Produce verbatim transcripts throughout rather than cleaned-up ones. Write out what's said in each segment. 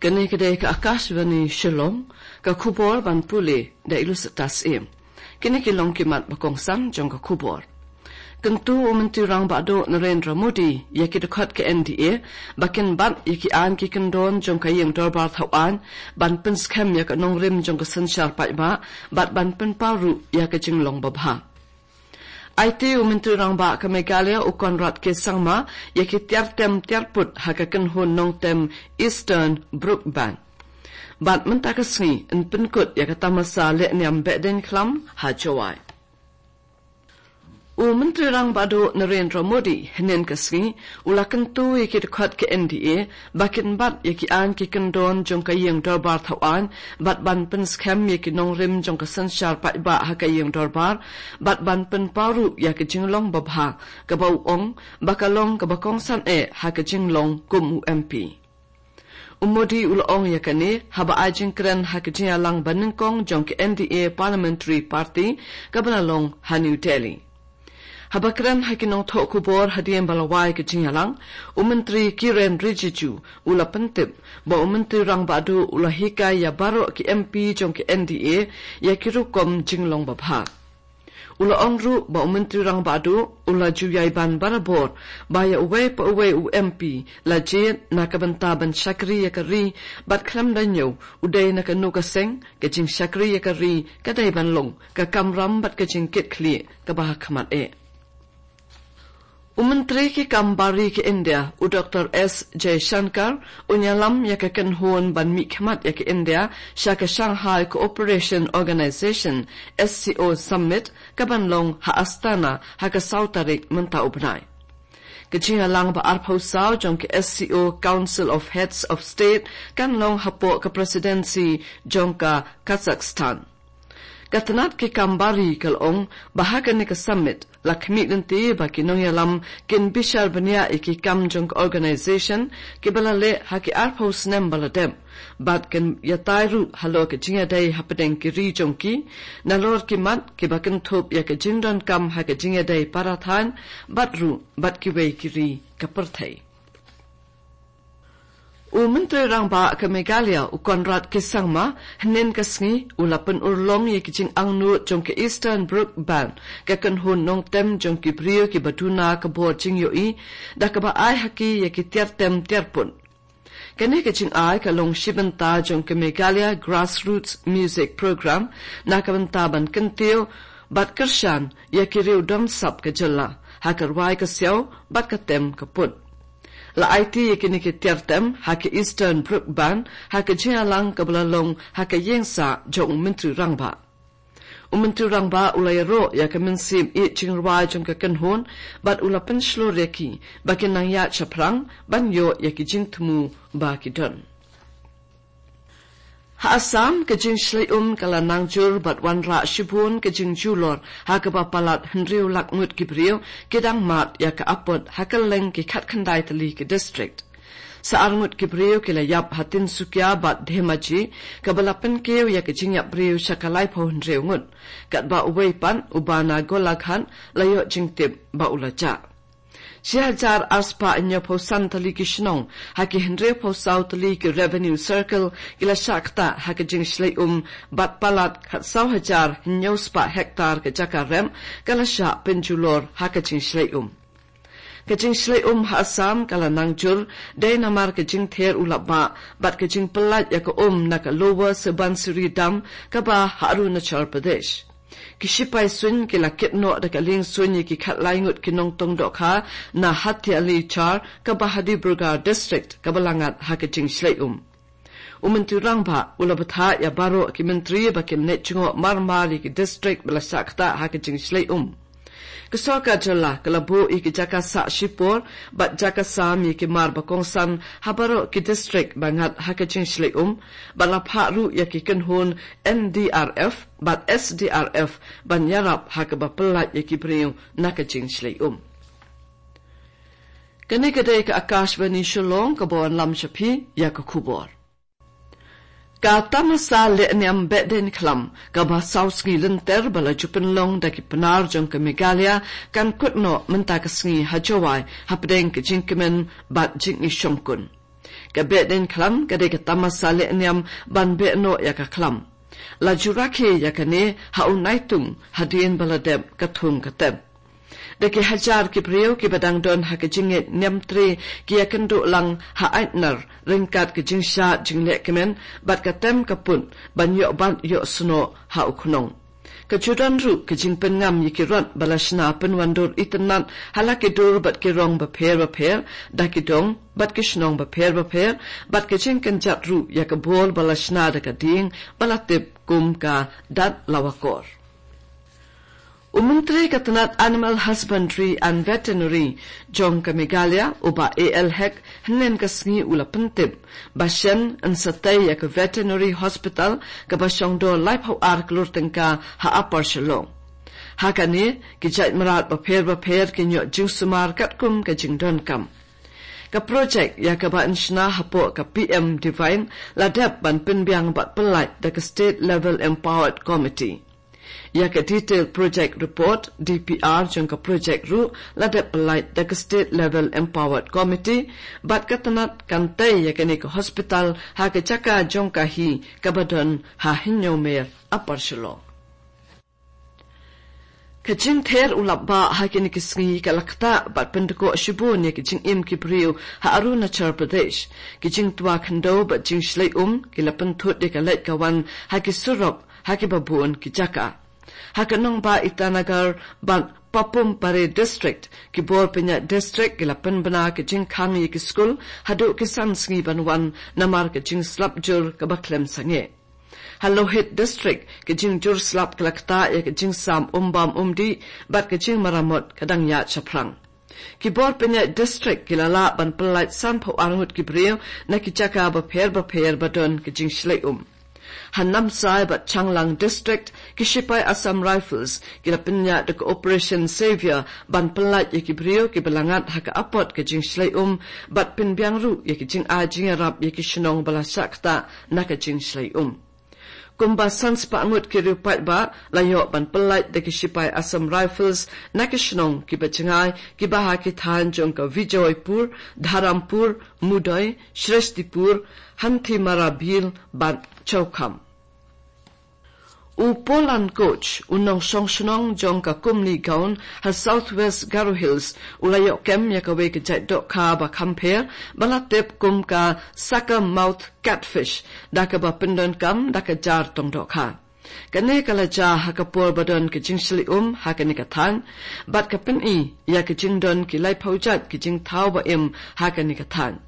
Kane ka dei ka Akashvani Shillong, ka khubor ban pule da Ilusitas Im. Kine ki long ki mat ba kongsan jong ka khubor. Kyntu u Myntri Rangbah Duh Narendra Modi ïa ki dkhot ka N D A ba kin bat ïa ki aiñ ki kyndon jong ka ïing dorbar thaw aiñ ban pynskhem ïa ka nongrim jong ka synshar paidbah bad ban pynpaw ruh ïa ka jinglong babha. Aiti u Myntri Rangbah ka Meghalaya u Conrad K Sangma ïa ki tiar tem tiar put ha ka kynhun nongtem Eastern Brook Band. Bad mynta ka sngi yn pynkut ïa ka tamasa leh niam behdeiñ khlam ha Jowai. U Myntri Rangbah Duh Narendra Modi hynnin ka sngi u la kyntu ïa ki dkhot ka N D A ba kin bat ïa ki aiñ ki kyndon jong ka ïing dorbar thaw aiñ bad ban pynskhem ïa ki nongrim jong ka synshar paidbah ha ka ïing dorbar bad ban pynpaw ruh ïa ka jinglong babha kaba u ong ba ka long kaba kongsan eh ha ka jinglong kum u M P. U Modi u la ong ïa kane haba ai jingkren ha ka jingïalang banyngkong jong ka N D A Parliamentary Party kaba la long ha New Delhi. Haba kren ha ki nongthoh khubor hadien ba la wai ka jingïalang, u Myntri Kiren Rijiju u la pyntip ba u Myntri Rangbah Duh u la hikai ïa baroh ki M P jong ka N D A ïa ki rukom jinglong babha. U la ong ruh ba u Myntri Rangbah Duh u la ju ïai ban barabor ba ïa uwei pa uwei u M P la jied na ka bynta ban shakri ïa ka ri bad khlem da ñiew u dei na kano ka seng, ka jingshakri ïa ka ri ka dei ban long ka kamram bad ka jingkitkhlieh kaba ha khmat eh. U Myntri ki kam bari ka India, u Doctor S Jaishankar, un ïalam ïa ka kynhun ban mihkhmat ïa ka India sha ka Shanghai Cooperation Organization, S C O Summit, kaban long ha Astana ha ka saw tarik mynta u bnai. Ka jingïalang ba arphew saw jong ka S C O Council of Heads of State kan long hapoh ka presidency jong ka Kazakhstan. Ka tnat ki kam bari ka la ong ba ha kane ka summit la khmih lynti ba ki nongïalam kin bishar bniah ïa ki kam jong ka organization kiba la leh ha ki arphew snem ba la dep bad kin ïatai ruh halor ka jingïadei hapdeng ki ri jong ki, nalor ki mat kiba kynthup ïa ka jingdonkam ha ka jingïadei para thaiñ bad ruh bad kiwei ki ri ka pyrthei. U Myntri Rangbah ka Meghalaya u Conrad K Sangma hynnin ka sngi u la pynurlong ïa ki jingangnud jong ka Eastern Brook Band, ka kynhun nongtem jong ki briew kiba duna ka bor jingïohi da kaba ai ha ki ïa ki tiar tem tiar put. Kane ka jingai ka long shi bynta jong ka Meghalaya Grassroots Music Program na ka bynta ban kyntiew bad kyrshan ïa ki riew don sap ka jylla ha ka rwai ka siaw bad ka tem ka put. La aiti ïa kine ki tiar tem ha ka Eastern Brook Band ha ka jingïalang kaba la long ha ka ïingsah jong u Myntri Rangbah. U Myntri Rangbah u la ïaroh ïa ka mynsiem ïeit jingrwai jong ka kynhun bad u la pynshlur ïa ki ba kin nang ïaid shaphrang ban ïoh ïa ki jingthmu ba ki don. Ha Assam ka jingshlei um ka la nang jur bad wanrah shibun ka jingjulor ha kaba palat hynriew lak ngut ki briew ki dang mad ïa ka apot ha kylleng ki khatkhyndai tylli ki district. Sa ar ngut ki briew ki la ïap ha Tinsukia bad Dhemaji kaba la pynkiew ïa ka jingïap briew sha ka laiphew hynriew ngut. Katba uwei pat uba na Golaghat la ïoh jingtip ba u la jah. Shi hajar arspah hynñiewphew san tylli ki shnong ha ki hynriewphew saw tylli ki revenue circle ki la shah ktah ha ka jingshlei um bad palat khatsaw hajar hynñiewspah hektar ka jaka rep ka la shah pynjulor ha ka jingshlei um. Ka jingshlei um ha Assam ka la nang jur dei namar ka jingther u lapbah bad ka jingpyllait ïa ka um na ka Lower Subansiri Dam kaba ha Arunachal Pradesh. Ki shipai suiñ ki la kit noh da ka lieng suiñ ïa ki khatlai ngut ki nongtong dohkha na Hatiali Char kaba ha Dibrugarh District kaba la ngat ha ka jingshlei um. U Myntri Rangbah u la bthah ïa baroh ki myntri ba kin leit jngoh marmar ïa ki district ba la shah ktah ha ka jingshlei um. Ka sorkar jylla ka la buh ïa ki jaka sah shipor bad jaka sam ïa ki mar ba kongsan ha baroh ki district ba ngat ha ka jingshlei um bad la phah ruh ïa ki kynhun N D R F bad S D R F ban ïarap ha kaba pyllait ïa ki briew na ka jingshlei um. Kane ka dei ka Akashvani Shillong kaba wanlam sha phi ïa ka khubor. Ka tamasa lehniam behdeiñ khlam kaba saw sngi lynter ba la ju pynlong da ki Pnar jong ka Meghalaya kan kut noh mynta ka sngi ha Jowai hapdeng ka jingkmen bad jingïashongkun. Ka behdeiñ khlam ka dei ka tamasa lehniam ban beh noh ïa ka khlam. La ju rakhe ïa kane ha u naitung hadien ba la dep ka thung ka tep. Da ki hajar ki briew kiba dang don ha ka jingngeit niamtre ki ïakynduh lang ha aitnar ryngkat ka jingshad jinglehkmen bad ka tem ka put ban ïoh bat ïoh snoh ha u khnong. Ka ju don ruh ka jingpynngam ïa ki rot ba la shna pynwandur itynnat ha la ki dur bad ki rong bapher bapher, da ki dong bad ki shnong bapher bapher, bad ka jingkynjat ruh ïa ka bor ba la shna da ka dieng ba la tip kum ka Dat Lawakor. U Myntri ka tnat Animal Husbandry and Veterinary jong ka Meghalaya, u Bah A L Hek, hynnin ka sngi u la pyntip ba shen yn sa tei ïa ka Veterinary Hospital kaba shong dor laiphew ar klur tyngka ha Upper Shillong. Ha kane, ki jait mrad bapher bapher kin ïoh jingsumar katkum ka jingdonkam. Ka projek ïa kaba yn shna hapoh ka P M Divine la dep ban pynbiang bad pyllait da ka State Level Empowered Committee. Ïa ka Detailed Project Report, D P R, jong ka projek ruh la dep pyllait da ka State Level Empowered Committee, bad ka tnat kan tei ïa kane ka hospital ha ka jaka jong ka hi kaba don ha Hynñiewmer, Upper Shillong. Ka jingther u lap bah ha kine ki sngi ka la ktah bad pyndkoh shibun ïa ki jingim ki briew ha Arunachal Pradesh. Ki jingtwa khyndew bad jingshlei um ki la pynthut ïa ka leit ka wan ha ki surok ha kiba bun ki jaka. Ha ka nongbah Itanagar bad Papum Pare District, ki bor pynïaid district ki la pynbna ka jingkhang ïa ki skul haduh ki san sngi ban wan namar ka jingslap jur kaba khlem sangeh. Ha Lohit District, ka jingjur slap ka la ktah ïa ka jingsam um bam um dih bad ka jingmaramot ka dang ïaid shaphrang. Ki bor pynïaid district ki la lah ban pyllait sanphew ar ngut ki briew na ki jaka bapher bapher ba don ka jingshlei um. Ha Namsai bad Changlang District, ki shipai Assam Rifles ki la pynïaid da ka Operation Savior ban pyllait ïa ki briew kiba la ngat ha ka apot ka jingshlei um, bad pynbiang ruh ïa ki jingai jingïarap ïa ki shnong ba la shah ktah na ka jingshlei um. Kumba san spah ngut ki riew paidbah la ïoh ban pyllait da ki shipai Assam Rifles na ki shnong kiba jngai, kiba ha ki thaiñ jong ka Vijoypur, Dharampur, Mudoi, Shrestipur, Hanthimara Bill bad Chaukham. U Polan Koch, u nongshong shnong jong ka Kumni Gaon ha South West Garo Hills, u la ïoh kem ïa kawei ka jait dohkha ba kham pher ba la tip kum ka sucker mouth catfish, da kaba pyndonkam da ka jar tong dohkha. Kane ka la jia ha ka por ba don ka jingshlei um ha kane ka thaiñ, bad ka pyni ïa ka jingdon ki laiphew jait ki jingthaw ba im ha kane ka thaiñ.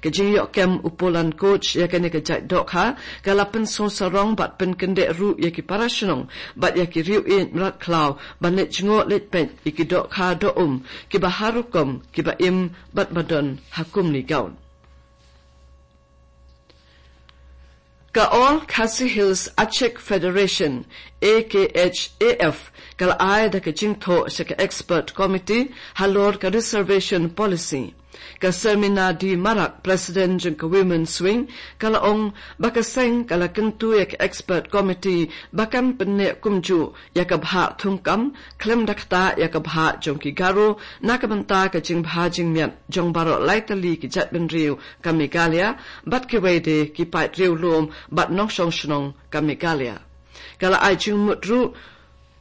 Ka jingïoh kem u Polan Koch ïa kane ka jait dohkha ka la pynsngewsarong bad pynkyndit ruh ïa ki para shnong bad ïa ki riew ïeit mrad khlaw ban leit jngoh leit peit ïa ki dohkha doh um kiba har rukom kiba im bad ba don ha Kumni Gaon. Ka All Khasi Hills Achik Federation, A K H A F, ka la ai da ka jingthoh sha ka Expert Committee halor ka Reservation Policy. Ka Sermina D Marak, President jong ka Women's Wing, ka la ong ba ka seng ka la kyntu ïa ka Expert Committee ba kan pynneh kumjuh ïa ka bhah thungkam khlem da ktah ïa ka bhah jong ki Garo na ka bynta ka jingbha jingmiat jong baroh lai tylli ki jaitbynriew ka Meghalaya bad kiwei de ki paid riewlum bad nongshong shnong ka Meghalaya. Ka la ai jingmut ruh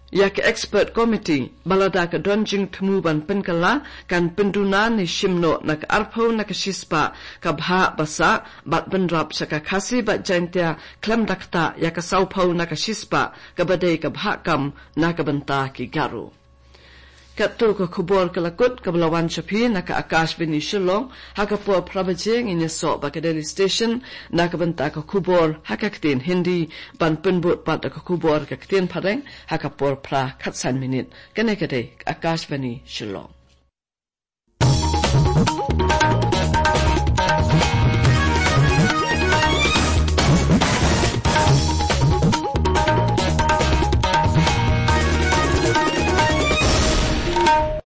ïa ka Expert Committee ba lada ka don jingthmu ban pynkylla, kan pynduna ne shim noh na ka arphew na ka shispah ka bhah ba sah bad bynrap sha ka Khasi bad Jaintia khlem da ktah ïa ka sawphew na ka shispah kaba dei ka bhah kam na ka bynta ki Garo. Katto ka khubor ka la kut kaba la wan sha phi na ka Akashvani Shillong. Ha ka por phra baje ngin ïasoh bad ka Delhi Station na ka bynta ka khubor ha ka ktien Hindi, ban pynbud pat da ka khubor ha ka ktien Phareng ha ka por phra khatsan minit. Kane ka dei ka Akashvani Shillong.